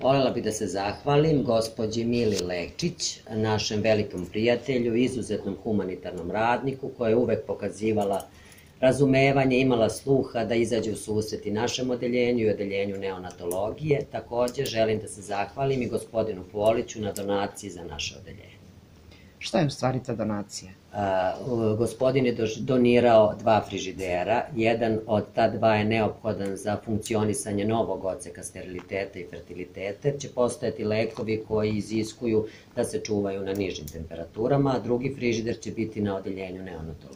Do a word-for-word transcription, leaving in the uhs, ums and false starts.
Volela bih da se zahvalim gospođi Mili Lečić, našem velikom prijatelju, izuzetnom humanitarnom radniku, koja je uvek pokazivala razumevanje, imala sluha da izađe u susret i našem odeljenju i odeljenju neonatologije. Takođe, želim da se zahvalim i gospodinu Poliću na donaciji za naše odeljenje. Šta je u stvari ta donacija? Gospodin je donirao dva frižidera. Jedan od ta dva je neophodan za funkcionisanje novog odseka steriliteta i fertiliteta, jer će postojati lekovi koji iziskuju da se čuvaju na nižim temperaturama, a drugi frižider će biti na odeljenju neonatologije.